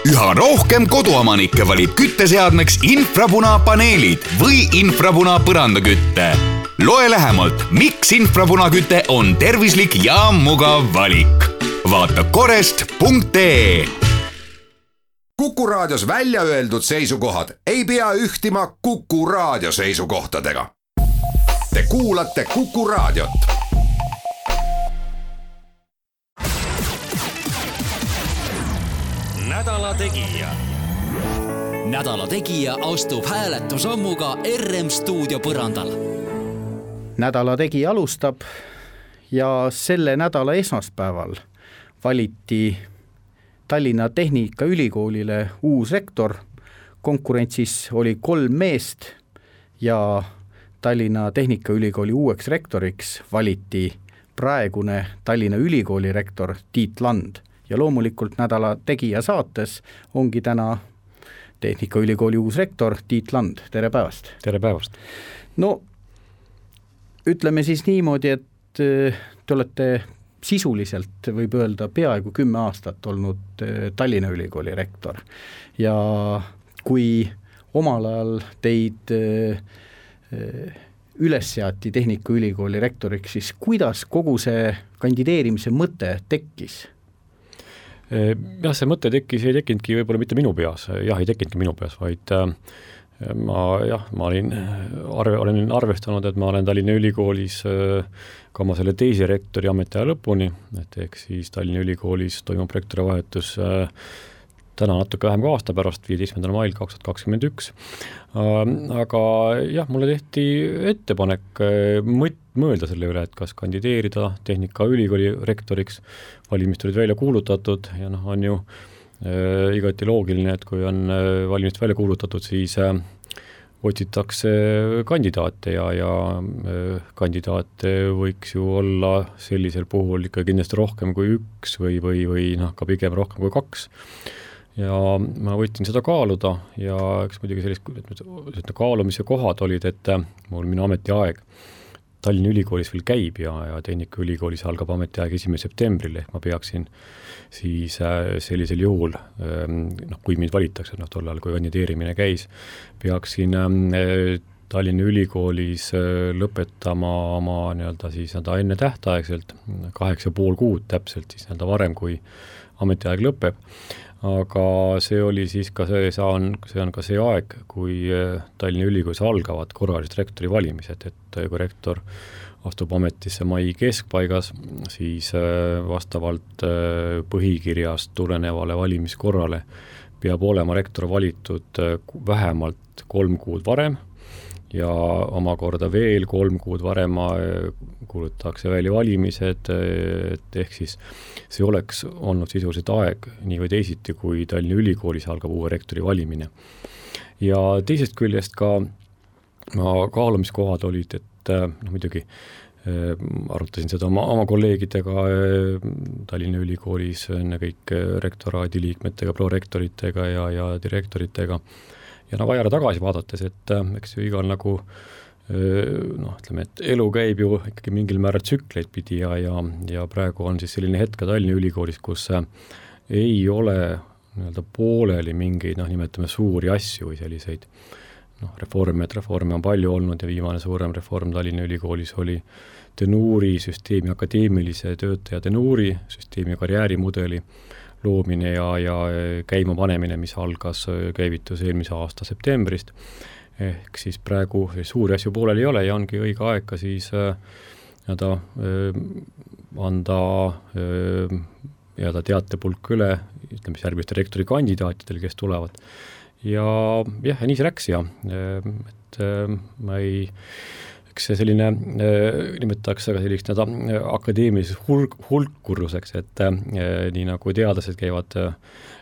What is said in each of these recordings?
Üha rohkem koduomanikke valib kütteseadmeks infrapunapaneelid või infrapuna põrandakütte. Loe lähemalt, miks infrapunaküte on tervislik ja mugav valik. Vaata korest.ee. Kuku Raadios välja öeldud seisukohad ei pea ühtima Kuku Raadio seisukohtadega. Te kuulate Kuku Raadiot. Nädala Tegija. Nädala Tegija astub hääletusammuga RM stuudio põrandal. Nädala Tegija alustab ja selle nädala esmaspäeval valiti Tallinna Tehnikaülikoolile uus rektor. Konkurentsis oli 3 meest ja Tallinna Tehnikaülikooli uueks rektoriks valiti praegune Tallinna Ülikooli rektor Tiit Land. Ja loomulikult Nädala Tegija saates ongi täna Tehnikaülikooli uus rektor Tiit Land. Tere päevast! Tere päevast! No, ütleme siis niimoodi, et te olete sisuliselt, võib öelda, peaaegu 10 aastat olnud Tallinna Ülikooli rektor. Ja kui omal ajal teid üles seati Tehnikaülikooli rektoriks, siis kuidas kogu see kandideerimise mõte tekkis? Jah, see mõte ei tekkinudki võib-olla mitte minu peas, ei tekkinudki minu peas, vaid ma olen arvestanud, et ma olen Tallinna Ülikoolis ka oma selle teise rektori ametiaja lõpuni, et ehk siis Tallinna Ülikoolis toimub rektori vahetus täna natuke vähem kui aasta pärast, 15. mail 2021. Aga jah, mulle tehti ettepanek mõelda selle üle, et kas kandideerida Tehnikaülikooli rektoriks. Valimist olid välja kuulutatud ja on ju igati loogiline, et kui on valimist välja kuulutatud, siis otsitakse kandidaate ja kandidaate võiks ju olla sellisel puhul ikka kindlasti rohkem kui 1 või ka pigem rohkem kui 2. Ja ma võtsin seda kaaluda ja eks muidugi sellist kaalumise kohad olid, et minu ametiaeg Tallinna Ülikoolis veel käib ja Tehnikaülikoolis algab ametiaeg 1. septembril, ehk ma peaksin siis sellisel juhul, kui mind valitakse, tollal kui kandideerimine käis, peaksin Tallinna Ülikoolis lõpetama oma siis enne tähtaegselt 8,5 kuud täpselt siis varem, kui ametiaeg lõpeb. Aga see oli siis ka see on ka see aeg, kui Tallinna Ülikoolis algavad korralised rektori valimised, et kui rektor astub ametisse mai keskpaigas, siis vastavalt põhikirjast tulenevale valimiskorrale peab olema rektor valitud vähemalt 3 kuud varem ja omakorda veel 3 kuud varem kuulutatakse välja valimised, et ehk siis see oleks olnud sisuliselt aeg nii või teisiti, kui Tallinna Ülikoolis algab uue rektori valimine. Ja teisest küljest ka kaalumiskohad olid, et muidugi arutasin seda oma kolleegidega Tallinna Ülikoolis, enne kõik rektoraadi liikmetega, prorektoritega ja direktoritega. Ja vajara tagasi vaadates, et eks ju igal ütleme, et elu käib ju ikkagi mingil määral tsükleid pidi ja praegu on siis selline hetk Tallinna Ülikoolis, kus ei ole pooleli mingeid, nimetame suuri asju või selliseid reforme on palju olnud ja viimane suurem reform Tallinna Ülikoolis oli tenuuri süsteemi, akadeemilise töötaja tenuuri süsteemi ja karjäärimudeli loomine ja käima panemine, mis käivitus eelmise aasta septembrist. Ehk siis praegu suuri asju poolel ei ole ja ongi õige aeg ka siis anda teatepulk üle, ütleme järgmiste rektori kandidaatidele, kes tulevad. Ja nii see läks et ma eks see selline nimetatakse ka sellist akadeemiliseks hulkuruseks, et nii nagu teadlased käivad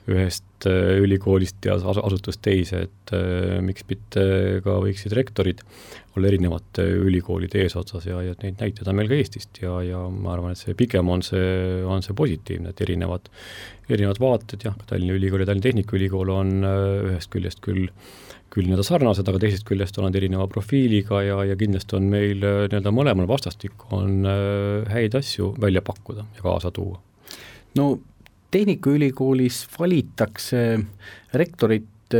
ühest ülikoolist ja asutust teise, et miks mitte ka võiksid rektorid olla erinevate ülikoolide eesotsas ja neid näitada meil ka Eestist ja ma arvan, et see pigem on see positiivne, et erinevad vaated, Tallinna Ülikool ja Tallinna Tehnikaülikool on ühest küljest küll sarnased, aga teisest küljest on erineva profiiliga ja kindlasti on meil mõlemal vastastik on häid asju välja pakkuda ja kaasa tuua. No Tehnikaülikoolis valitakse rektorit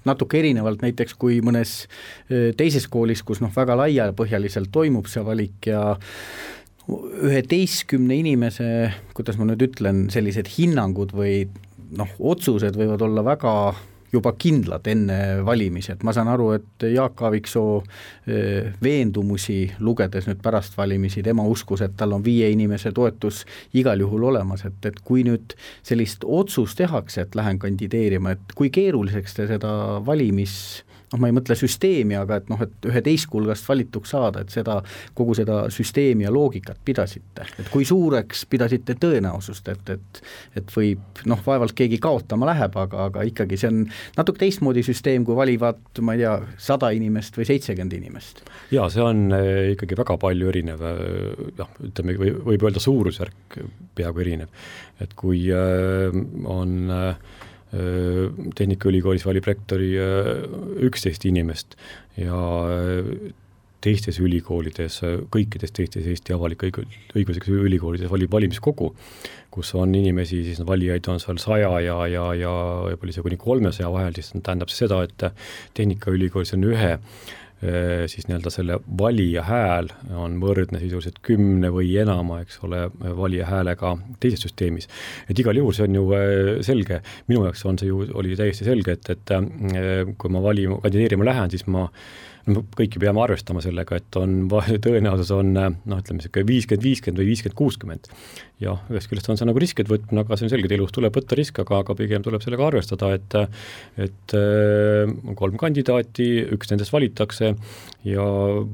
natuke erinevalt näiteks kui mõnes teises koolis, kus väga laiapõhjaliselt toimub see valik ja 11 inimese, kuidas ma nüüd ütlen, sellised hinnangud või otsused võivad olla väga juba kindlad enne valimisi, et ma saan aru, et Jaak Aaviksoo veendumusi lugedes nüüd pärast valimisi, tema uskus, et tal on 5 inimese toetus igal juhul olemas, et kui nüüd sellist otsust tehakse, et lähen kandideerima, et kui keeruliseks te seda ma ei mõtle süsteemi, aga et 11 hulgast valituks saada, et kogu seda süsteemi ja loogikat pidasite, et kui suureks pidasite tõenäosust, et võib, vaevalt keegi kaotama läheb, aga ikkagi see on natuke teistmoodi süsteem, kui valivad, ma ei tea, 100 inimest või 70 inimest. Jaa, see on ikkagi väga palju erinev, ütleme, võib öelda suurusjärk peaaegu erinev, et kui on Tehnikaülikoolis valib rektori 11 inimest ja teistes ülikoolides, kõikides teistes Eesti avalik-õiguslikus ülikoolides valib valimiskogu, kus on inimesi, siis valijaid on seal 100 ja võib-olla see kuni 300 vahel, siis tähendab seda, et Tehnikaülikoolis on ühe siis nii-öelda selle valija hääl on võrdne sisuliselt 10 või enama, eks ole, valija häälega teises süsteemis. Et igal juhul see on ju selge, minu jaoks oli täiesti selge, et kui ma kandideerima lähen, siis kõiki peame arvestama sellega, et tõenäosus on, ütleme, 50-50 või 50-60. Ja ühest küljest on see nagu riskid võtmine, aga see on selge, et elus tuleb võtta risk, aga pigem tuleb sellega arvestada, et 3 kandidaati, üks nendest valitakse ja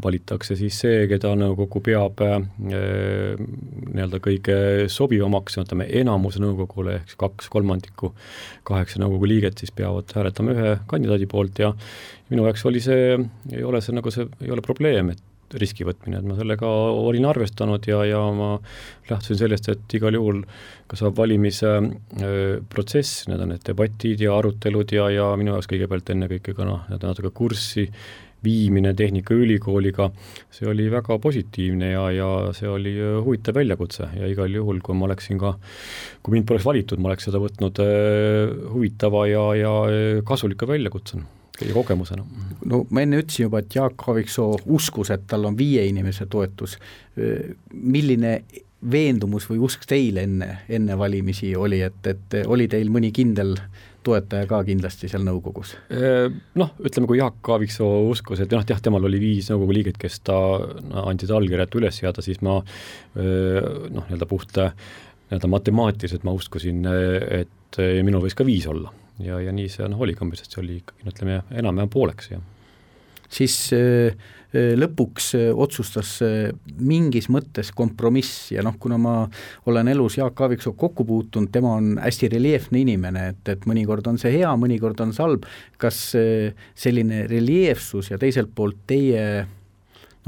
valitakse siis see, keda nõukogu peab nii-öelda kõige sobivamaks, ütleme, enamuse nõukogule, ehk 2/3, 8 nõukogu liiget siis peavad hääletama ühe kandidaadi poolt ja minu jaoks ei ole probleem, et riski võtmine, et ma sellega olin arvestanud ja ma lähtusin sellest, et igal juhul ka saab valimise protsess, need on need debatid ja arutelud ja minu jaoks kõigepealt enne kõike ka natuke kurssi viimine Tehnikaülikooliga, see oli väga positiivne ja see oli huvitav väljakutse ja igal juhul, kui mind poleks valitud, ma oleks seda võtnud huvitava ja kasulika väljakutsena ja kogemusena. No ma enne ütlesin juba, et Jaak Aaviksoo uskus, et tal on 5 inimese toetus. Milline veendumus või usk teil enne valimisi oli, et oli teil mõni kindel toetaja ka kindlasti seal nõukogus? Ütleme, kui Jaak Aaviksoo uskus, et temal oli 5 nõukogu liiget, kes ta andsid allkirjad üles seada, siis ma nii-öelda puht matemaatiliselt ma uskusin, et minul võis ka 5 olla. Ja nii see oli kambisest, see oli ikkagi, ütleme, enam pooleks. Ja. Siis lõpuks otsustas mingis mõttes kompromiss ja kuna ma olen elus Jaak Aaviksoo kokku puutunud, tema on hästi reljeefne inimene, et mõnikord on see hea, mõnikord on salb. Kas selline reljeefsus ja teiselt poolt teie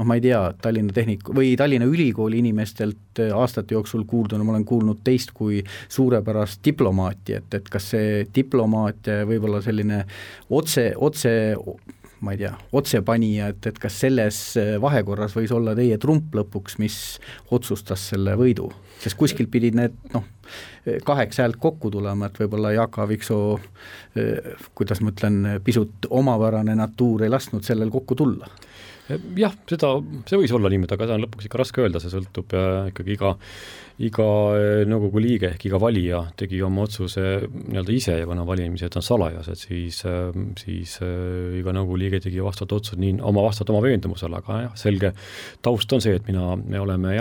ma ei tea, Tallinna Ülikooli inimestelt aastate jooksul kuulduna, ma olen kuulnud teist kui suurepärast diplomaati, et kas see diplomaatia võib-olla selline ma ei tea, otsepanija, et kas selles vahekorras võis olla teie trump lõpuks, mis otsustas selle võidu? Sest kuskil pidid need 8 häält kokku tulema, et võib-olla Jaak Aaviksoo, kuidas ma ütlen, pisut omapärane natuur ei lasknud sellel kokku tulla. Jah, see võis olla niimoodi, aga see on lõpuks ikka raske öelda, see sõltub ikkagi iga nõukogu liige ehk iga valija tegi oma otsuse nii-öelda ise ja kuna valimised on salajased, siis iga nõukogu liige tegi vastavat otsust oma veendumusele, aga selge taust on see, et me oleme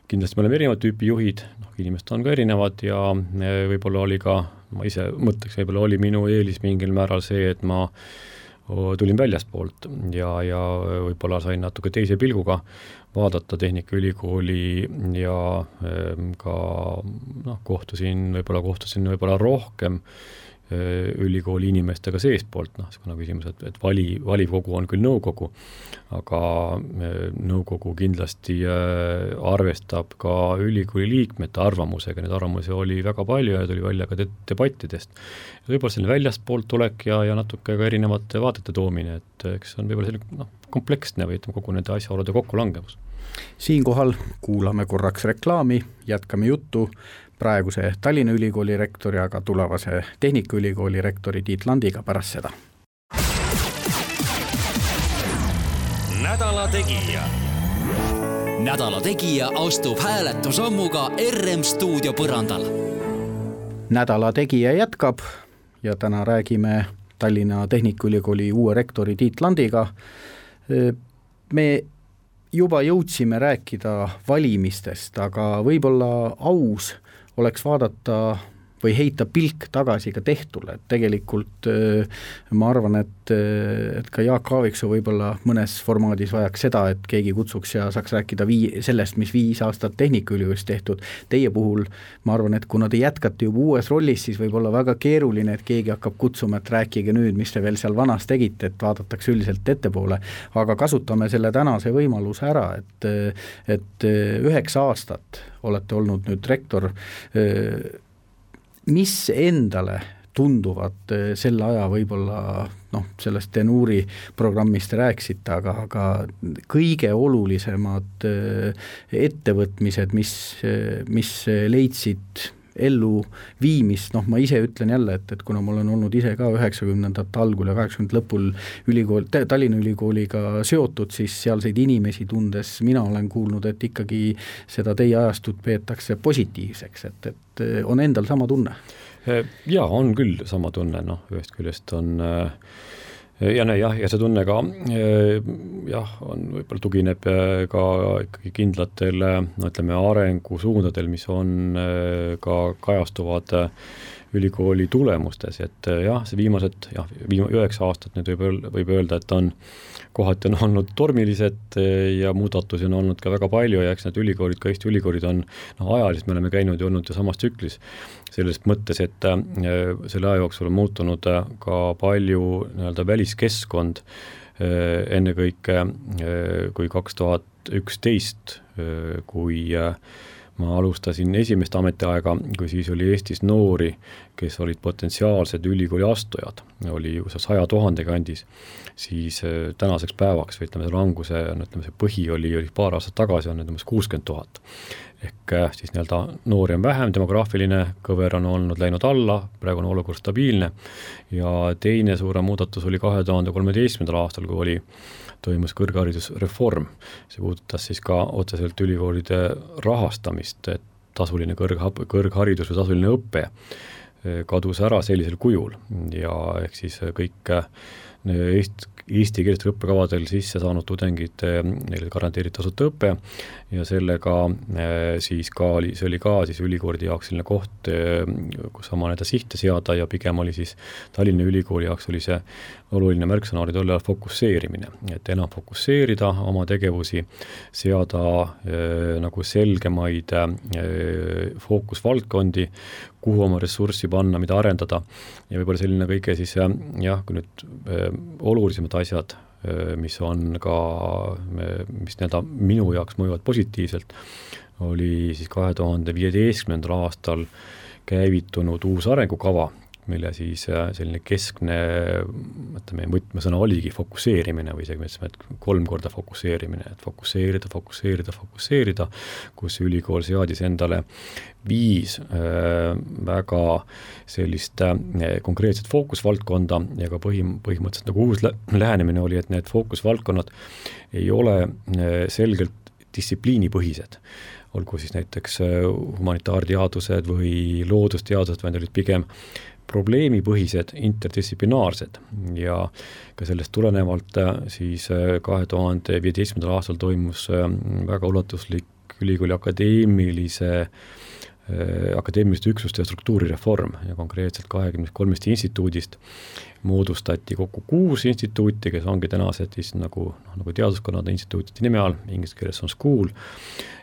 kindlasti me oleme erinevad tüüpi juhid, inimesed on ka erinevad ja võib-olla oli ka, ma ise mõtleks, võib-olla oli minu eelis mingil määral see, et ma tulin väljastpoolt ja võib-olla sain natuke teise pilguga vaadata Tehnikaülikooli ja ka kohtusin võib-olla rohkem ülikooli inimestega seespoolt, kuna küsimus, et valivkogu on küll nõukogu, aga nõukogu kindlasti arvestab ka ülikooli liikmete arvamusega, need arvamusi oli väga palju ja tuli välja ka debattidest. Võib-olla selline väljastpoolt tulek ja natuke ka erinevate vaadete toomine, et eks on võib-olla selline kompleksne või kogu nende asjaolude kokkulangemus. Siinkohal kuulame korraks reklaami, jätkame juttu praeguse Tallinna Ülikooli rektori, aga tulevase Tehnikaülikooli rektori Tiit Landiga pärast seda. Nädala Tegija. Nädala Tegija astub hääletusammuga RM stuudio põrandal. Nädala Tegija jätkab ja täna räägime Tallinna Tehnikaülikooli uue rektori Tiit Landiga. Me juba jõudsime rääkida valimistest, aga võib-olla aus oleks vaadata või heita pilk tagasi ka tehtule. Tegelikult ma arvan, et ka Jaak Aaviksoo võib-olla mõnes formaadis vajaks seda, et keegi kutsuks ja saaks rääkida sellest, mis 5 aastat Tehnikaülikoolis tehtud. Teie puhul ma arvan, et kuna te jätkate juba uues rollis, siis võib olla väga keeruline, et keegi hakkab kutsuma, et rääkige nüüd, mis te veel seal vanas tegite, et vaadatakse üldiselt ettepoole. Aga kasutame selle tänase võimaluse ära, et 9 aastat olete olnud nüüd rektor. Mis endale tunduvad selle aja võib-olla sellest Tenuuri programmist rääksite, aga kõige olulisemad ettevõtmised, mis leidsid ellu viimist, ma ise ütlen jälle, et kuna ma olen olnud ise ka 90ndate algul ja 80 lõpul Tallinna Ülikooliga seotud, siis sealseid inimesi tundes mina olen kuulnud, et ikkagi seda teie ajastut peetakse positiivseks, et on endal sama tunne? Ja, on küll sama tunne, ühest küljest on ja see tunne ka on võib-olla tugineb ka ikkagi kindlatel arengusuundadel, mis on ka kajastuvad ülikooli tulemustes, et see viimased 9 aastat nüüd võib öelda, et on kohati on olnud tormilised ja muudatusi on olnud ka väga palju ja eks need ülikoolid, ka Eesti ülikoolid on ajaliselt, me oleme käinud ja olnud ju samas tsüklis selles mõttes, et selle aja jooksul on muutunud ka palju väliskeskkond, ennekõike kui 2011, kui ma alustasin esimest ametiaega, kui siis oli Eestis noori, kes olid potentsiaalsed ülikooli astujad, oli 100 000 kandis, siis tänaseks päevaks, või languse, see põhi oli paar aastat tagasi, on 60 000. Ehk siis noori on vähem, demograafiline kõver on olnud läinud alla, praegu on olukord stabiilne ja teine suurem muudatus oli 2013. aastal, kui toimus kõrgharidusreform. See puudutas siis ka otseselt ülikoolide rahastamist, et tasuline kõrgharidus või tasuline õpe kadus ära sellisel kujul ja ehk siis kõik eesti keelestel õppekavadel sisse saanud tudengid, neile garanteeriti tasuta õpe ja sellega siis see oli ka siis ülikoolide jaoks selline koht, kus oma sihte seada ja pigem oli siis Tallinna Ülikooli jaoks oli see oluline märksõna oli tolle fokusseerimine, et enam fokusseerida oma tegevusi, seada nagu selgemaid fookusvaldkondi, kuhu oma ressurssi panna, mida arendada ja võib-olla selline kõige siis kui nüüd olulisemad asjad, mis on ka, mis minu jaoks mõjuvad positiivselt, oli siis 2015. aastal käivitunud uus arengukava, mille siis selline keskne võtmesõna oligi fokusseerimine või isegi mõtlesime, et 3 korda fokusseerimine, et fokusseerida, kus ülikool seadis endale 5 väga sellist konkreetset fookusvaldkonda ja ka põhimõtteliselt nagu uus lähenemine oli, et need fookusvaldkonnad ei ole selgelt distsipliinipõhised, olgu siis näiteks humanitaarteadused või loodusteadused, vaid olid pigem probleemipõhised, interdistsiplinaarsed ja ka sellest tulenevalt siis 2015. aastal toimus väga ulatuslik ülikooli akadeemiliste üksuste ja struktuurireform ja konkreetselt 23 instituudist moodustati kokku 6 instituuti, kes ongi tänased siis nagu teaduskonnade instituutide nime all, inglise keeles on school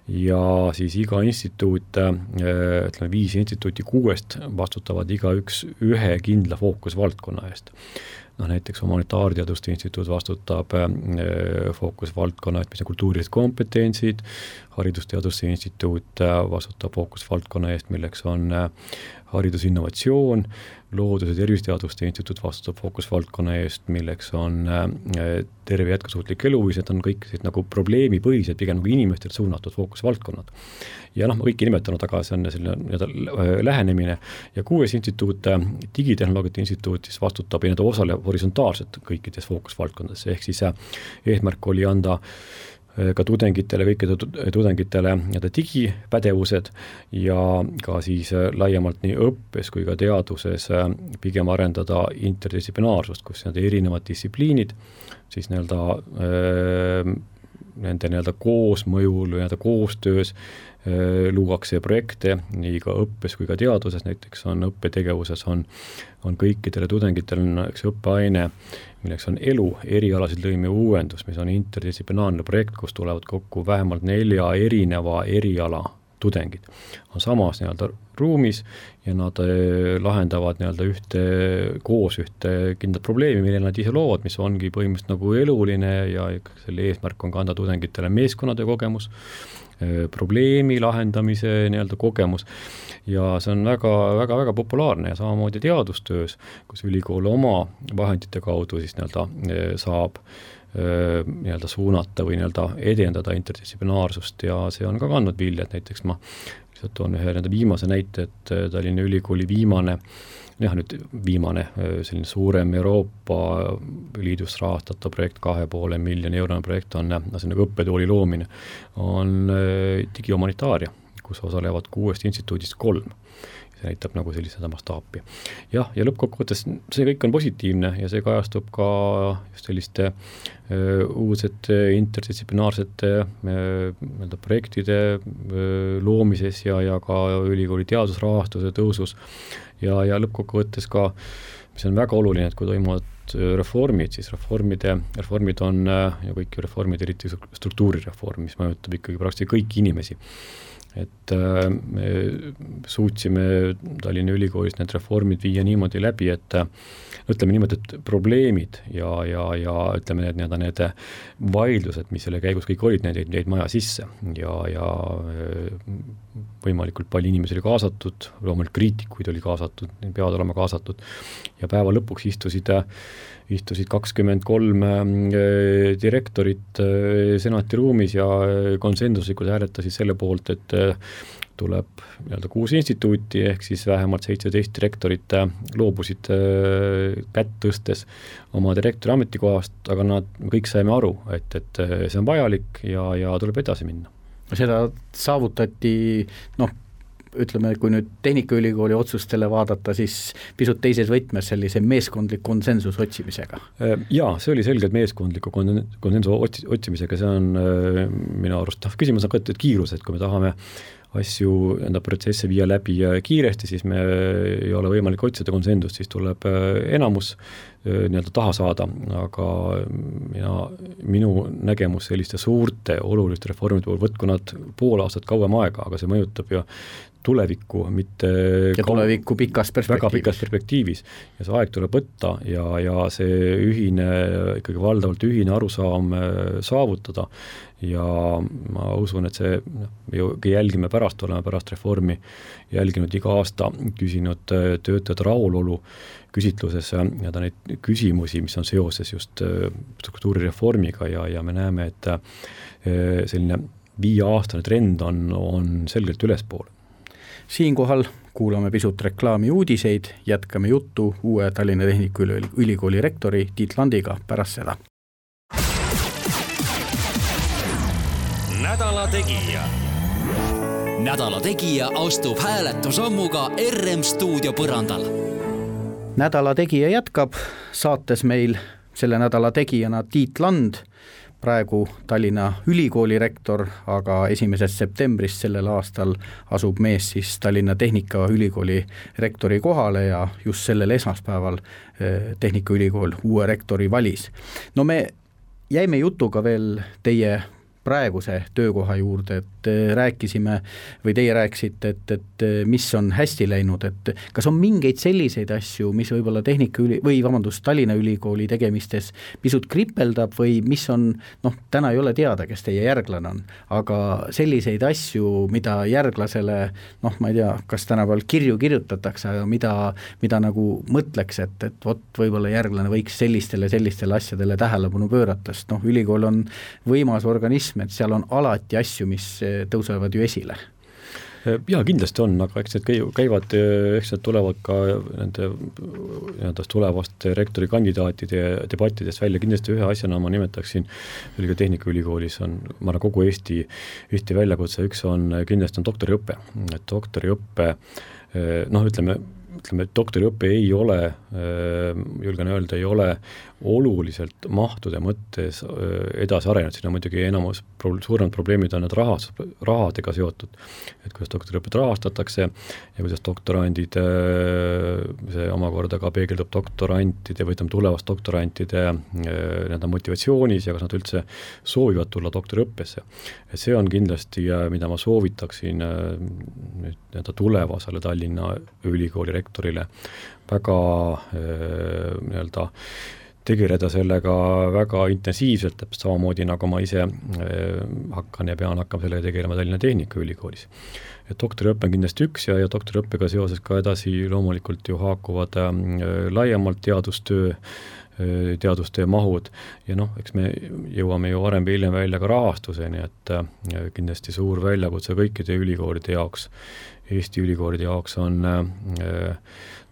ja siis iga instituut, 5 instituuti 6 vastutavad igaüks ühe kindla fookusvaldkonna eest. Näiteks humanitaarteaduste instituut vastutab fookusvaldkonna, mis on kultuurilised kompetentsid, haridusteaduste instituut vastutab fookusvaldkonna eest, milleks on haridusinnovatsioon, Loodus- ja tervisteaduste instituut vastutab fookusvaldkonna eest, milleks on terve jätkusuutlik eluviis, need on kõik nagu probleemipõhised, pigem nagu inimestelt suunatud fookusvaldkonnad. Ja ma kõiki nimetanud, aga see on selline lähenemine. Ja 6. instituut, digitehnoloogiate instituut, siis vastutab ja need osaleb horisontaalselt kõikides fookusvaldkondades, ehk siis eesmärk oli anda ka kõikide tudengitele digipädevused ja ka siis laiemalt nii õppes kui ka teaduses pigem arendada interdistsiplinaarsust, kus erinevad distsipliinid siis nende koosmõjul või koostöös luuakse projekte nii ka õppes kui ka teaduses, näiteks on õppetegevuses on kõikidele tudengitele üks õppeaine, milleks on elu, erialasid lõime uuendus, mis on interdistsiplinaarne projekt, kus tulevad kokku vähemalt 4 erineva eriala tudengid. On samas ruumis ja nad lahendavad koos ühte kindlat probleemi, mille nad ise loovad, mis ongi põhimõtteliselt nagu eluline ja selle eesmärk on ka anda tudengitele meeskonnade kogemus, probleemi lahendamise kogemus ja see on väga populaarne ja samamoodi teadustöös, kus ülikool oma vahendite kaudu siis saab suunata või edendada interdistsiplinaarsust ja see on ka kandnud vilja, et näiteks ma lihtsalt toon ühe viimase näite, et Tallinna Ülikooli viimane selline suurem Euroopa Liidus rahastatav projekt, 2,5 miljoni eurone projekt on õppetooli loomine, on digihumanitaaria, kus osalevad 6 instituudist 3. See näitab nagu sellise mastaapi. Ja lõppkokkuvõttes see kõik on positiivne ja see kajastub ka just selliste uudsete interdistsiplinaarsete projektide loomises ja ka ülikooli teadusrahastuse tõusus ja lõppkokkuvõttes ka, mis on väga oluline, et kui toimuvad reformid, siis reformid on ja kõik reformid, eriti struktuurireform, mis mõjutab ikkagi praktiliselt kõiki inimesi. Et me suutsime Tallinna Ülikoolis need reformid viia niimoodi läbi, et ütleme niimoodi, et probleemid ja ütleme need vaidlused, mis selle käigus kõik olid, need jäid maja sisse ja võimalikult palju inimesi oli kaasatud, loomulikult kriitikuid oli kaasatud, peavad olema kaasatud ja päeva lõpuks istusid 23 direktorit senati ruumis ja konsensuslikult hääletasid selle poolt, et tuleb 6 instituuti ehk siis vähemalt 17 direktorit loobusid kätt tõstes oma direktori ametikohast, aga nad kõik saime aru, et see on vajalik ja tuleb edasi minna. Seda saavutati, ütleme, kui nüüd Tehnikaülikooli otsustele vaadata, siis pisut teises võtmes sellise meeskondlik konsensus otsimisega. Jaa, see oli selgelt meeskondliku konsensus otsimisega, see on minu arust, küsimus on ka kiirus, et kui me tahame asju, protsesse viia läbi kiiresti, siis me ei ole võimalik otsida konsensust, siis tuleb enamus taha saada, aga minu nägemus selliste suurte oluliste reformide puhul, võtku nad pool aastat kauem aega, aga see mõjutab ju tulevikku, mitte tulevikku pikas perspektiivis. Väga pikas perspektiivis ja see aeg tuleb võtta ja see ikkagi valdavalt ühine arusaam saavutada ja ma usun, et see jälgime oleme pärast reformi jälginud iga aasta, küsinud töötajate rahulolu küsitluses ja neid küsimusi, mis on seoses just struktuurireformiga ja me näeme, et selline 5-aastane trend on selgelt ülespool. Siinkohal kuulame pisut reklaami uudiseid, jätkame juttu uue Tallinna Tehnikaülikooli rektori Tiit Landiga pärast seda. Nädala Tegija. Nädala Tegija astub hääletusammuga RM stuudio põrandal. Nädala Tegija jätkab, saates meil selle nädala tegijana Tiit Land, praegu Tallinna Ülikooli rektor, aga 1. septembrist sellel aastal asub mees siis Tallinna Tehnikaülikooli rektori kohale ja just sellel esmaspäeval Tehnikaülikool uue rektori valis. No me jäime jutuga veel teie praeguse töökoha juurde, et rääkisime või teie rääkisite, et mis on hästi läinud, et kas on mingeid selliseid asju, mis võib-olla Tallinna Ülikooli tegemistes pisut kripeldab või mis on, täna ei ole teada, kes teie järglane on, aga selliseid asju, mida järglasele, ma ei tea, kas tänapäeval kirju kirjutatakse, aga mida nagu mõtleks, et vot võib-olla järglane võiks sellistele asjadele tähelepanu pöörata, sest ülikool on võimas organism, et seal on alati asju, mis tõusevad ju esile. Jaa, kindlasti on, aga eks need tulevad ka nende tulevaste rektori kandidaatide debattidest välja. Kindlasti ühe asjana ma nimetaksin, ka Tehnikaülikoolis on, ma arvan, kogu Eesti väljakutse, üks on kindlasti on doktoriõppe. Doktoriõppe, ütleme, doktoriõppe ei ole, julgen öelda, ei ole oluliselt mahtude mõttes edasi arenenud, siin on muidugi suuremad probleemid on need rahadega seotud, et kuidas doktoriõpet rahastatakse ja kuidas doktorandid, see omakorda ka peegeldub doktorantide või tulevast doktorantide motivatsioonis ja kas nad üldse soovivad tulla doktoriõppesse. Et see on kindlasti, mida ma soovitaksin tulevasele Tallinna Ülikooli rektorile väga tegeleda sellega väga intensiivselt, samamoodi nagu ma ise hakkan ja pean hakkama sellega tegelema Tallinna Tehnikaülikoolis. Et doktoriõppe on kindlasti üks ja doktoriõppega seoses ka edasi loomulikult ju haakuvad laiemalt teadustöö mahud ja eks me jõuame ju varem või hiljem välja ka rahastuseni, et kindlasti suur väljakutse kõikide ülikoolide jaoks, Eesti ülikoolide jaoks on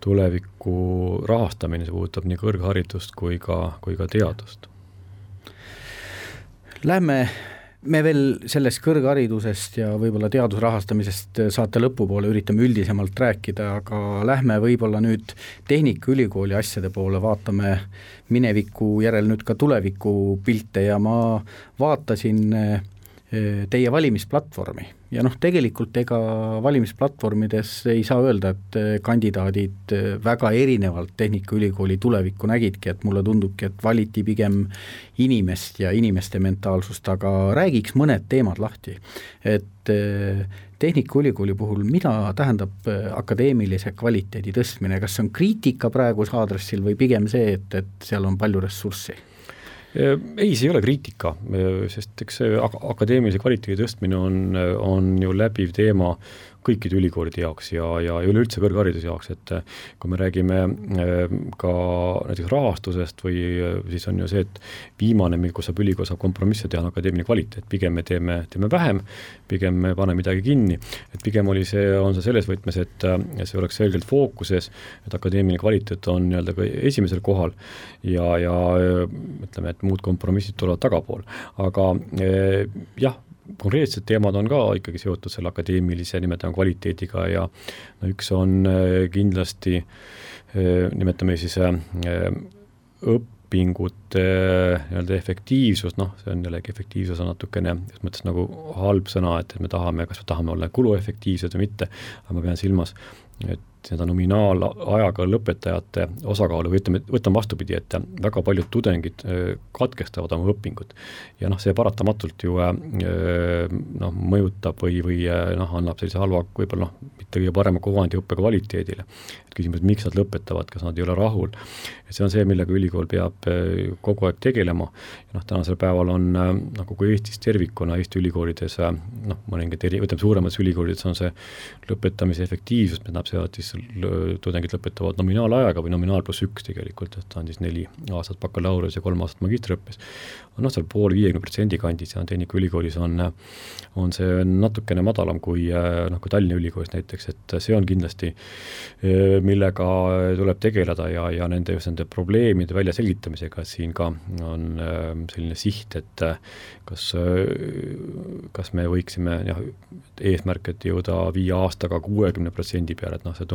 tuleviku rahastamine, see puudutab nii kõrgharidust kui ka teadust. Lähme me veel sellest kõrgharidusest ja võib-olla teadusrahastamisest saate lõpupoole üritame üldisemalt rääkida, aga lähme võib-olla nüüd Tehnikaülikooli asjade poole, vaatame mineviku järel nüüd ka tuleviku pilte ja ma vaatasin teie valimisplatvormi ja tegelikult ega valimisplatvormides ei saa öelda, et kandidaadid väga erinevalt Tehnikaülikooli tulevikku nägidki, et mulle tundubki, et valiti pigem inimest ja inimeste mentaalsust, aga räägiks mõned teemad lahti, et Tehnikaülikooli puhul, mida tähendab akadeemilise kvaliteedi tõstmine, kas see on kriitika praeguse aadressil või pigem see, et seal on palju ressurssi? Ei, see ei ole kriitika, sest eks see akadeemilise kvaliteedi tõstmine on ju läbiv teema kõikide ülikoolide jaoks ja üleüldse kõrghariduse jaoks, et kui me räägime ka näiteks rahastusest või siis on ju see, et viimane, kus ülikool saab kompromisse teha, on akadeemiline kvaliteet, pigem me teeme vähem, pigem me paneme midagi kinni, et pigem on see selles võtmes, et see oleks selgelt fookuses, et akadeemiline kvaliteet on nii-öelda ka esimesel kohal ja ütleme, et muud kompromissid tulevad tagapool, aga jah, konkreetsed teemad on ka ikkagi seotud selle akadeemilise nimetame kvaliteediga ja üks on kindlasti, nimetame siis õpingute nii-öelda efektiivsus, see on jällegi efektiivsus on natukene, mõttes nagu halb sõna, et me tahame, kas me tahame olla kuluefektiivsed või mitte, aga ma pean silmas, et seda nominaalajaga lõpetajate osakaalu või võtame vastupidi, et väga paljud tudengid katkestavad oma õpingut ja see paratamatult ju mõjutab või annab sellise halva, võib-olla mitte kõige parema kuvandi õppe kvaliteedile. Et küsimus, miks nad lõpetavad, kas nad ei ole rahul. Et see on see, millega ülikool peab kogu aeg tegelema. Ja tänasel päeval on kogu Eestis tervikuna Eesti ülikoolides, mõningad võtame suuremates ülikoolides on see lõpetamise efektiivsus, mida siis tudengid lõpetavad nominaalajaga või nominaal pluss 1 tegelikult, et ta on siis 4 aastat bakalaureus ja 3 aastat magistriõppes. Seal pool 50% kandis ja Tehnikaülikoolis on see natukene madalam kui Tallinna Ülikoolis näiteks, et see on kindlasti, millega tuleb tegeleda ja nende probleemide välja selgitamisega, siin ka on selline siht, et kas me võiksime eesmärk, et jõuda 5 aastaga 60% peale, et see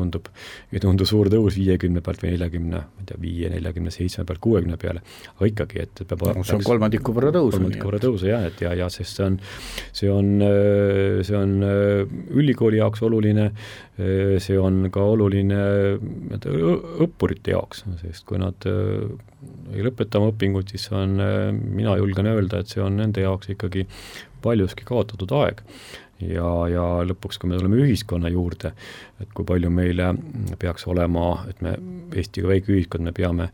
ei tundu suur tõus 50 pealt või 40, 47 pealt 60 peale, aga ikkagi, et peab see on kolmandiku võrra tõusu. Ja sest see on ülikooli jaoks oluline, see on ka oluline õppurite jaoks, sest kui nad ei lõpeta oma õpingut, siis mina julgen öelda, et see on nende jaoks ikkagi paljuski kaotatud aeg. Ja lõpuks, kui me tuleme ühiskonna juurde, et kui palju meile peaks olema, et me Eesti väike ühiskond, me peame,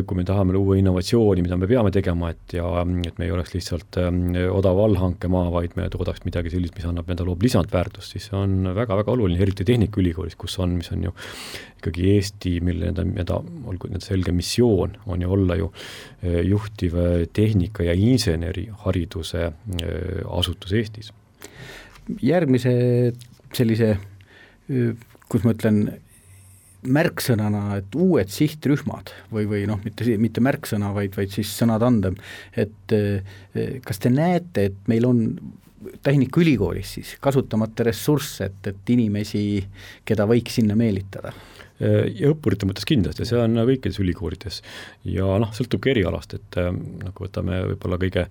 kui me tahame luua innovatsiooni, mida me peame tegema, et me ei oleks lihtsalt odav allhankemaa, vaid me toodaks midagi sellist, mis annab, mida loob lisandväärtust, siis see on väga-väga oluline, eriti Tehnikaülikoolis, mis on ju ikkagi Eesti, mille olgu selge missioon on ju olla ju juhtiv tehnika- ja insenerihariduse asutus Eestis. Järgmise sellise, kus ma ütlen, märksõnana, et uued sihtrühmad või noh, mitte märksõna, vaid siis sõnatandem, et kas te näete, et meil on Tehnikaülikoolis siis kasutamata ressurss, et inimesi, keda võiks sinna meelitada? Ja õppurite mõttes kindlasti, see on kõikides ülikoolides ja sõltubki erialast, et nagu võtame võib-olla kõige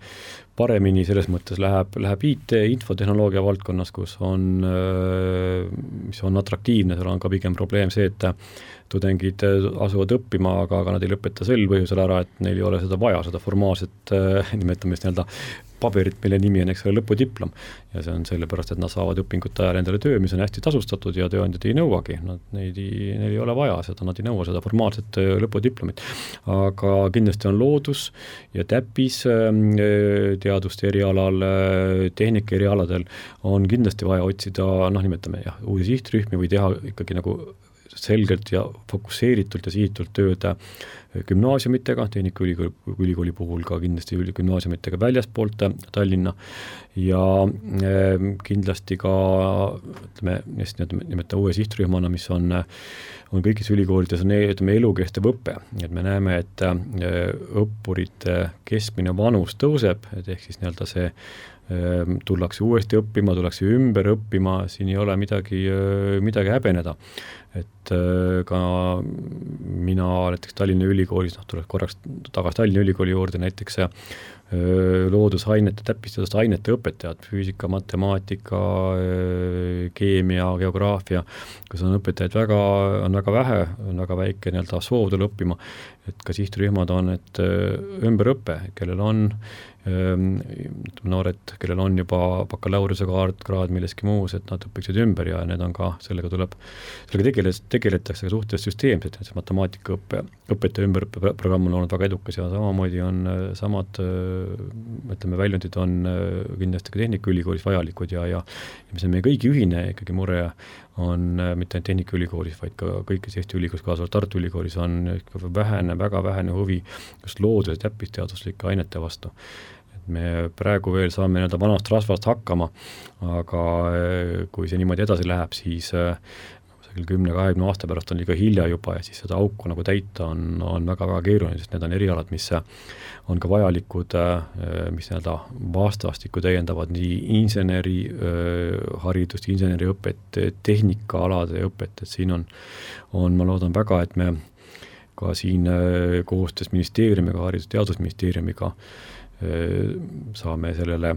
paremini selles mõttes läheb IT, infotehnoloogia valdkonnas, kus mis on atraktiivne, seal on ka pigem probleem see, et tudengid asuvad õppima, aga nad ei lõpeta sel põhjusel ära, et neil ei ole seda vaja, seda formaalset nimetamist paberit, mille nimi on lõpudiplom ja see on sellepärast, et nad saavad õpingute ajal endale töö, mis on hästi tasustatud ja tööandjad ei nõuagi, neil ei ole vaja seda, nad ei nõua seda formaalset lõpudiplomit. Aga kindlasti on loodus ja täppis teaduste erialal, tehnika erialadel on kindlasti vaja otsida, nimetame uusi sihtrühmi või teha ikkagi nagu selgelt ja fokusseeritult ja sihitult tööd gümnaasiumitega, Tehnikaülikooli puhul ka kindlasti gümnaasiumitega väljaspoolt Tallinna ja kindlasti ka nimeta uue sihtrühmana, mis on kõigis ülikoolides on elukestev õpe, et me näeme, et õppurite keskmine vanus tõuseb, et ehk siis see tullakse uuesti õppima, tullakse ümber õppima, siin ei ole midagi häbeneda. Et ka mina näiteks Tallinna Ülikoolis, tuleks korraks tagasi Tallinna Ülikooli juurde, näiteks loodusainete, täppisteaduste ainete õpetajad, füüsika, matemaatika, keemia, geograafia, kus on õpetajaid väga vähe, on väga väike soov tulla õppima, et ka sihtrühmad on, et ümberõpe, kellel on noored, kellel on juba bakalaureuse kraad milleski muus, et nad õpiksid ümber ja need on ka, sellega tegeletakse suhteliselt süsteemselt, et see matemaatikaõpetaja ümberõppeprogramm on olnud väga edukas ja samamoodi on samad väljundid on kindlasti ka Tehnikaülikoolis vajalikud ja mis on meie kõigi ühine ikkagi mure on mitte ainult Tehnikaülikoolis, vaid ka kõikis Eesti ülikoolis, kaasa Tartu Ülikoolis on väga vähene huvi just loodus- ja täppisteaduslike ainete vastu. Me praegu veel saame vanast rasvast hakkama, aga kui see niimoodi edasi läheb, siis 10-20 aasta pärast on liiga hilja juba ja siis seda auku täita on väga keeruline, sest need on erialad, mis on ka vajalikud, mis vastastikku täiendavad nii inseneri haridust, inseneriõpet, tehnikaalade õpet, et siin on, ma loodan väga, et me ka siin koostöös ministeeriumiga, Haridus-Teadusministeeriumiga saame sellele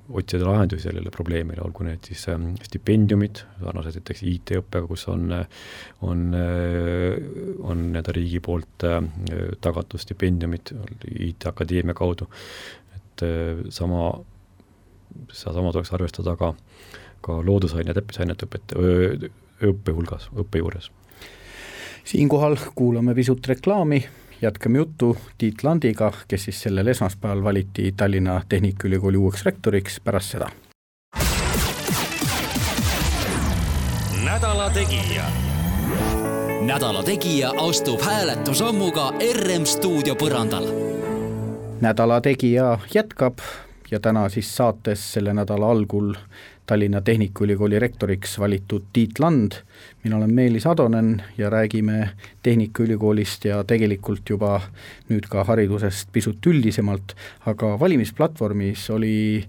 otsida lahendusi sellele probleemile, olgu need siis stipendiumid, sarnaselt näiteks IT-õppega, kus on riigi poolt tagatud stipendiumid IT-akadeemia kaudu, et sama tuleks arvestada ka loodusaine ja täppisainete õppe juures. Siinkohal kuulame pisut reklaami, jätkame juttu Tiit Landiga, kes siis sellel esmaspäeval valiti Tallinna Tehnikaülikooli uueks rektoriks pärast seda. Nädala Tegija. Nädala Tegija astub hääletusammuga RM stuudio põrandal. Nädala Tegija jätkab ja täna siis saates selle nädala algul Tallinna Tehnikaülikooli rektoriks valitud Tiit Land. Mina olen Meelis Adonen ja räägime Tehnikaülikoolist ja tegelikult juba nüüd ka haridusest pisut üldisemalt, aga valimisplatvormis oli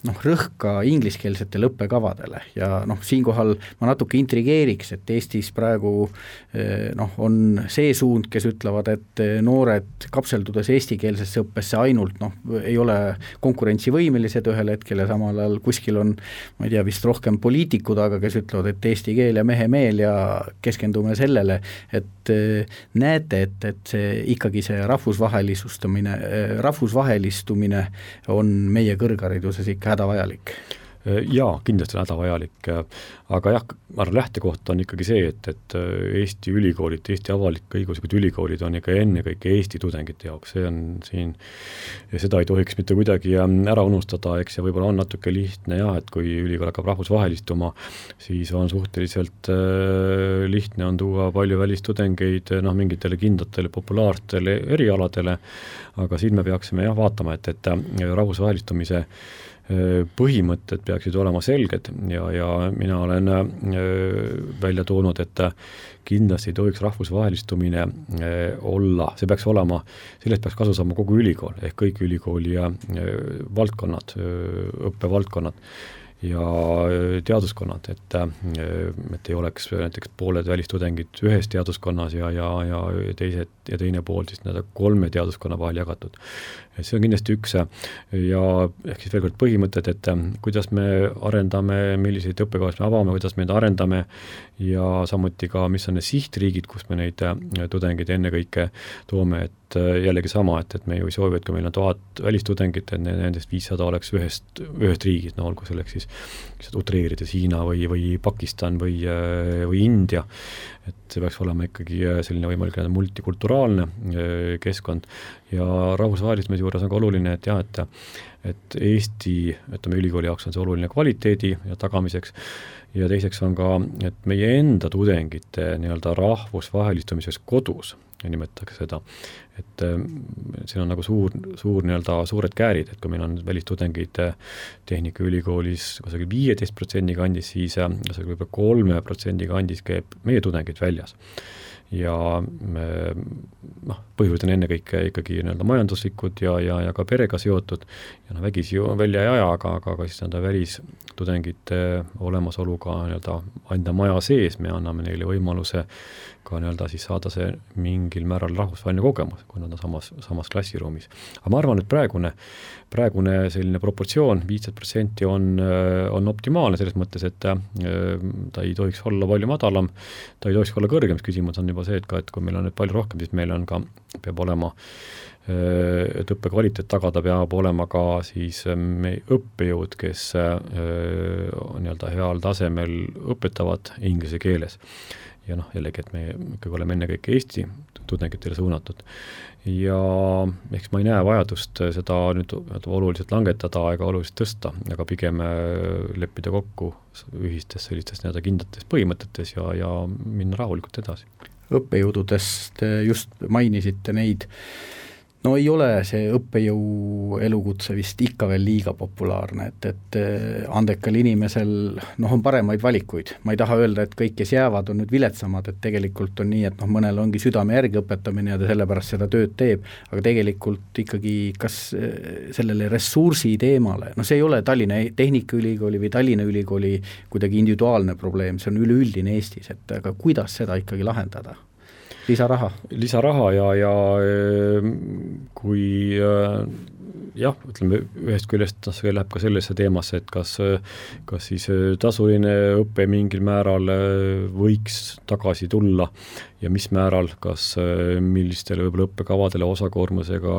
rõhk ka ingliskeelsetele õppekavadele ja siinkohal ma natuke intrigeeriks, et Eestis praegu on see suund, kes ütlevad, et noored kapseldudes eestikeelsesse õppesse ainult ei ole konkurentsivõimelised ühel hetkel ja samal ajal kuskil on, ma ei tea, vist rohkem poliitikud, aga kes ütlevad, et eesti keel ja mehe meel ja keskendume sellele, et näete, et see ikkagi see rahvusvahelistumine on meie kõrghariduses ikka hädavajalik. Jaa, kindlasti on hädavajalik, aga jah, lähtekoht on ikkagi see, et Eesti ülikoolid, Eesti avalik-õiguslikud ülikoolid on ikka ennekõike Eesti tudengite jaoks, see on siin, ja seda ei tohiks mitte kuidagi ära unustada, eks ja võib-olla on natuke lihtne jah, et kui ülikool hakkab rahvusvahelistuma, siis on suhteliselt lihtne on tuua palju välistudengeid mingitele kindlatele populaarsetele erialadele, aga siin me peaksime jah vaatama, et rahvusvahelistumise põhimõtted peaksid olema selged ja mina olen välja toonud, et kindlasti ei tohiks rahvusvahelistumine olla, see peaks olema, sellest peaks kasu saama kogu ülikool, ehk kõik ülikooli valdkonnad, õppevaldkonnad ja teaduskonnad, et ei oleks näiteks pooled välistudengid ühes teaduskonnas ja teine pool siis 3 teaduskonna vahel jagatud. Et see on kindlasti üks ja ehk siis veel kord põhimõtted, et kuidas me arendame, milliseid õppekavas me avame, kuidas me neid arendame ja samuti ka, mis on need sihtriigid, kus me neid tudengeid ennekõike toome, et jällegi sama, et me ju ei soovi, et kui meil on 1000 välistudengit, et nendest 500 oleks ühest riigist, olgu selleks siis utreerides Hiina või Pakistan või India, et see peaks olema ikkagi selline võimalik multikulturaalne keskkond ja rahvusvahelistumise juures on ka oluline, et jah, et Eesti, ütleme ülikooli jaoks on see oluline kvaliteedi ja tagamiseks ja teiseks on ka, et meie enda tudengite nii-öelda rahvusvahelistumises kodus nimetatakse seda, et siin on nagu suur nii-öelda suured käärid, et kui meil on välistudengid Tehnikaülikoolis kusagil 15% kandis, siis kusagil võib-olla 3% kandis käib meie tudengid väljas. Ja põhjused on ennekõike ikkagi nii-öelda majanduslikud ja ka perega seotud ja vägisi ju välja ei aja, aga siis nende välistudengite olemasoluga nii-öelda enda maja sees me anname neile võimaluse ka nii-öelda siis saada see mingil määral rahvusvaheline kogemus, kui nad on samas klassiruumis. Aga ma arvan, et praegune selline proportsioon 15% on optimaalne selles mõttes, et ta ei tohiks olla palju madalam, ta ei tohiks olla kõrgem, küsimus on juba see, et kui meil on nüüd palju rohkem, siis meil on ka, peab olema, et õppekvaliteet tagada, peab olema ka siis õppejõud, kes nii-öelda heal tasemel õpetavad inglise keeles. Ja jällegi, et me ikkagi oleme ennekõike Eesti tudengitele suunatud. Ja eks ma ei näe vajadust seda nüüd oluliselt langetada ega oluliselt tõsta, aga pigem leppida kokku ühistes sellistes kindlates põhimõtetes ja minna rahulikult edasi. Õppejõududest just mainisite neid, ei ole see õppejõu elukutse vist ikka veel liiga populaarne, et andekal inimesel on paremaid valikuid. Ma ei taha öelda, et kõik, kes jäävad, on nüüd viletsamad, et tegelikult on nii, et mõnel ongi südame järgi õpetamine ja ta sellepärast seda tööd teeb, aga tegelikult ikkagi kas sellele ressursi teemale, see ei ole Tallinna Tehnikaülikooli või Tallinna Ülikooli kuidagi individuaalne probleem, see on üleüldine Eestis, et aga kuidas seda ikkagi lahendada? Lisaraha ja kui ütleme, ühest küljest see läheb ka sellesse teemasse, et kas siis tasuline õppe mingil määral võiks tagasi tulla ja mis määral, kas millistele võib-olla õppekavadele osakoormusega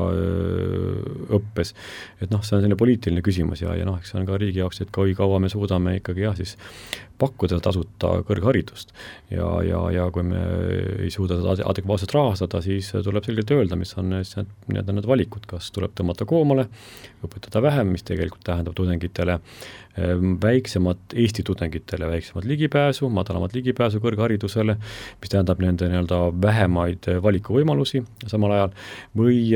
õppes. Et see on selline poliitiline küsimus ja eks see on ka riigi jaoks, et kui kaua me suudame ikkagi siis pakkuda tasuta kõrgharidust ja kui me ei suuda seda adekvaatselt rahastada, siis tuleb selgelt öelda, mis on need valikud, kas tuleb tõmmata koomale, õpetada vähem, mis tegelikult tähendab tudengitele väiksemat Eesti tudengitele väiksemat ligipääsu, madalamat ligipääsu kõrgharidusele, mis tähendab nende vähemaid valikuvõimalusi samal ajal või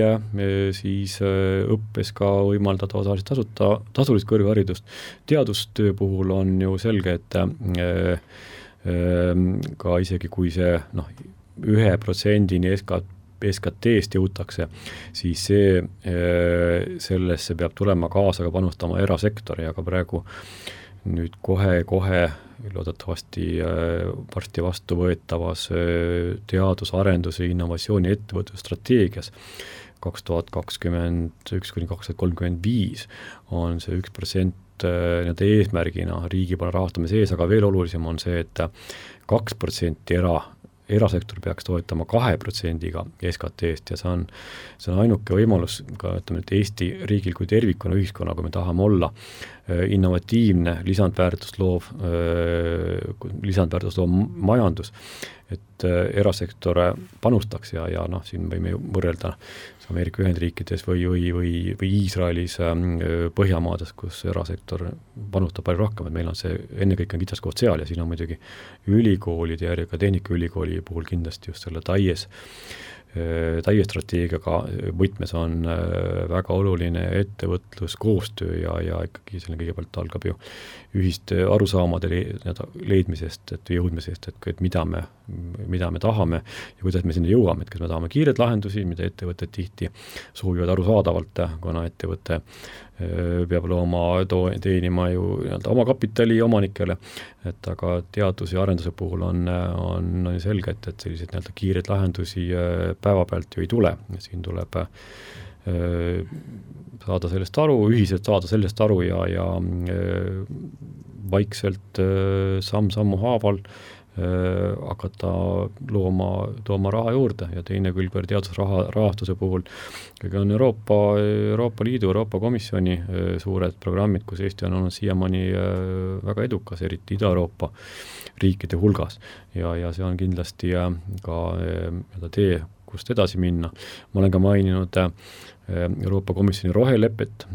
siis õppes ka võimaldada osaliselt tasulist kõrgharidust. Teadustöö puhul on ju selge, et ka isegi kui see 1%-ni SKT-st jõutakse, siis sellesse peab tulema kaasa ka panustama erasektori, aga praegu nüüd kohe loodetavasti varsti vastu võetavas teadusarenduse innovatsiooni ettevõtlusstrateegias 2021–2035 on see 1% eesmärgina riigi poole rahastamise ees, aga veel olulisem on see, et 2% erasektor peaks toetama 2%-ga SKT-st ja see on ainuke võimalus ka, ütleme, et Eesti riigil kui tervikuna ühiskonna, kui me tahame olla innovatiivne, lisandväärtust loov majandus, et erasektor panustaks ja siin võime ju võrrelda Ameerika Ühendriikides või Iisraelis, Põhjamaades, kus erasektor panustab palju rohkem, et meil on see ennekõike kitsaskoht seal ja siin on muidugi ülikoolide ja ka Tehnikaülikooli puhul kindlasti just selle TAIE strateegiaga võtmes on väga oluline ettevõtluskoostöö ja ikkagi selle kõigepealt algab ju ühiste arusaamade leidmisest, et jõudmisest, et mida me tahame ja kuidas me sinna jõuame, et kas me tahame kiired lahendusi, mida ettevõtted tihti soovivad arusaadavalt, kuna ettevõte peab teenima ju oma kapitali omanikele, et aga teadus- ja arenduse puhul on selge, et sellised kiired lahendusi päevapealt ju ei tule. Siin tuleb saada sellest aru, ühiselt saada sellest aru ja vaikselt samm-sammu haaval hakata tooma raha juurde ja teine külg teadusrahastuse puhul on Euroopa Liidu, Euroopa Komisjoni suured programmid, kus Eesti on olnud siiamaani väga edukas, eriti Ida-Euroopa riikide hulgas ja see on kindlasti ka tee, kust edasi minna. Ma olen ka maininud Euroopa Komisjoni rohelepet,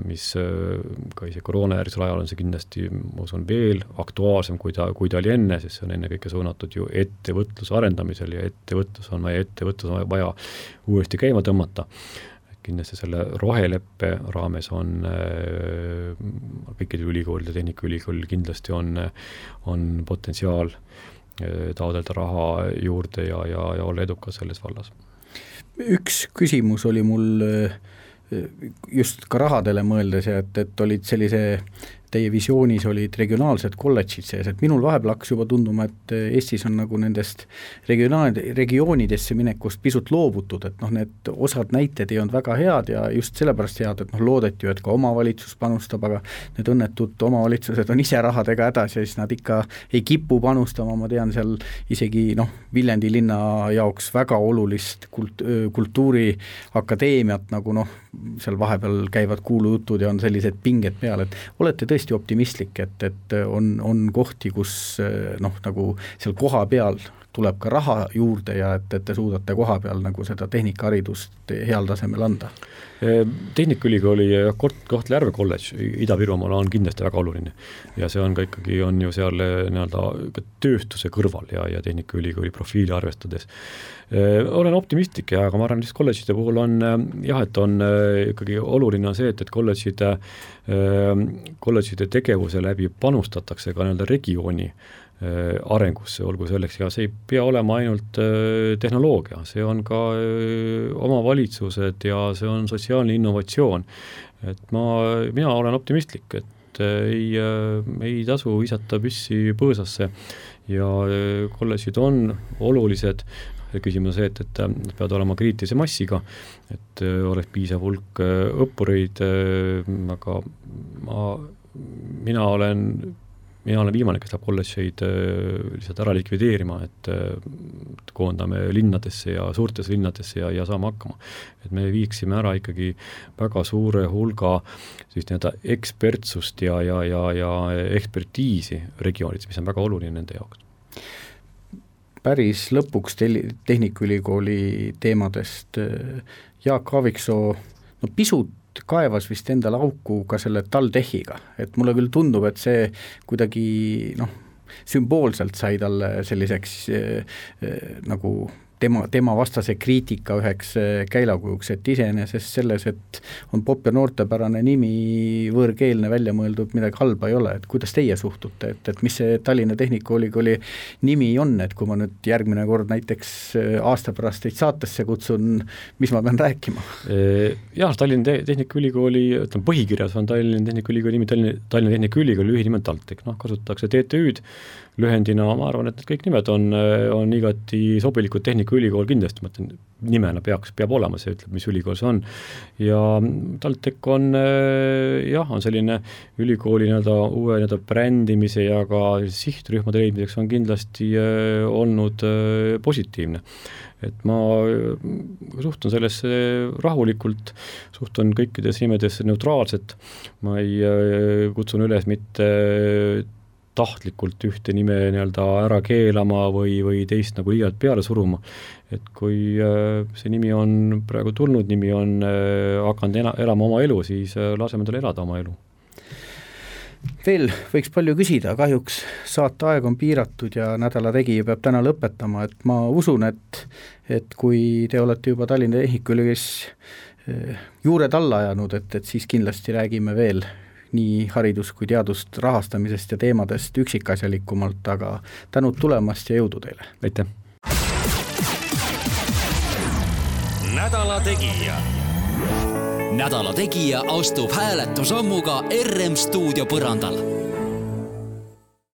mis ka ise koroonajärgsel ajal on see kindlasti, ma usun, veel aktuaalsem, kui ta oli enne, sest see on ennekõike suunatud ju ettevõtluse arendamisel ja ettevõtlus on vaja uuesti käima tõmmata. Kindlasti selle roheleppe raames on kõikide ülikoolide, Tehnikaülikoolil kindlasti on potentsiaal taodelda raha juurde ja olla edukas selles vallas. Üks küsimus oli mul just ka rahadele mõeldes, et olid sellise, teie visioonis olid regionaalsed kolledžid sees, et minul vahepeal hakkas juba tunduma, et Eestis on nagu nendest regioonidesse minekust pisut loobutud, et need osad näited ei olnud väga head ja just sellepärast head, et loodeti ju, et ka omavalitsus panustab, aga need õnnetud omavalitsused on ise rahadega hädas ja siis nad ikka ei kipu panustama, ma tean seal isegi Viljandi linna jaoks väga olulist kultuuriakadeemiat, nagu seal vahepeal käivad kuulujutud ja on sellised pinged peal, et olete tõesti optimistlik, et on kohti, kus nagu seal koha peal tuleb ka raha juurde ja et te suudate koha peal nagu seda tehnikaharidust heal tasemel anda? Tehnikaülikooli ja Kohtla-Järve kolledž Ida-Virumaal on kindlasti väga oluline ja see on ka ikkagi on ju seal tööstuse kõrval ja Tehnikaülikooli profiili arvestades. Olen optimistlik aga ma arvan, et kolledžide puhul on et on ikkagi oluline on see, et kolledžide tegevuse läbi panustatakse ka regiooni arengusse, olgu selleks ja see ei pea olema ainult tehnoloogia, see on ka omavalitsused ja see on sotsiaalne innovatsioon. Et mina olen optimistlik, et ei tasu visata püssi põõsasse ja kolledžid on olulised. Küsimus on see, et peavad olema kriitilise massiga, et oleks piisav hulk õppureid, aga mina olen viimane, kes läheb kolledžeid lihtsalt ära likvideerima, et koondame linnadesse ja suurtes linnadesse ja saame hakkama. Et me viiksime ära ikkagi väga suure hulga ekspertsust ja ekspertiisi regioonides, mis on väga oluline nende jaoks. Päris lõpuks Tehnikaülikooli teemadest Jaak Aaviksoo pisut kaevas vist endale auku ka selle TalTechiga, et mulle küll tundub, et see kuidagi sümboolselt sai talle selliseks nagu tema vastase kriitika üheks käilakujuks, et iseenesest selles, et on popp ja noortepärane nimi, võõrkeelne välja mõeldud, midagi halba ei ole, et kuidas teie suhtute, et mis see Tallinna Tehnikaülikooli nimi on, et kui ma nüüd järgmine kord näiteks aasta pärast teid saatesse kutsun, mis ma pean rääkima? Jah, Tallinna Tehnikaülikooli, ütleme põhikirjas on Tallinna Tehnikaülikooli nimi, Tallinna Tehnikaülikooli lühinimed TalTech, kasutatakse TTÜ-d, lühendina ma arvan, et need kõik nimed on igati sobilikud, Tehnikaülikool kindlasti, ma ütlen, nimena peab olema, see ütleb, mis ülikool see on. Ja TalTech on selline ülikooli uue brändimise ja ka sihtrühmade leidmiseks on kindlasti olnud positiivne. Et ma suhtun sellesse rahulikult, suhtun kõikides nimedesse neutraalselt, ma ei kutsun üles mitte tahtlikult ühte nime ära keelama või teist liialt peale suruma. Et kui see nimi on praegu tulnud, nimi on hakanud elama oma elu, siis laseme tal elada oma elu. Veel võiks palju küsida, kahjuks saate aeg on piiratud ja nädala tegija peab täna lõpetama, et ma usun, et kui te olete juba Tallinna Tehnikaülikoolis juured alla ajanud, et siis kindlasti räägime veel nii haridus- kui teadust rahastamisest ja teemadest üksikasjalikumalt, aga tänud tulemast ja jõudu teile! Aitäh! Nädala tegija. Nädala tegija astub hääletusammuga RM stuudio põrandal.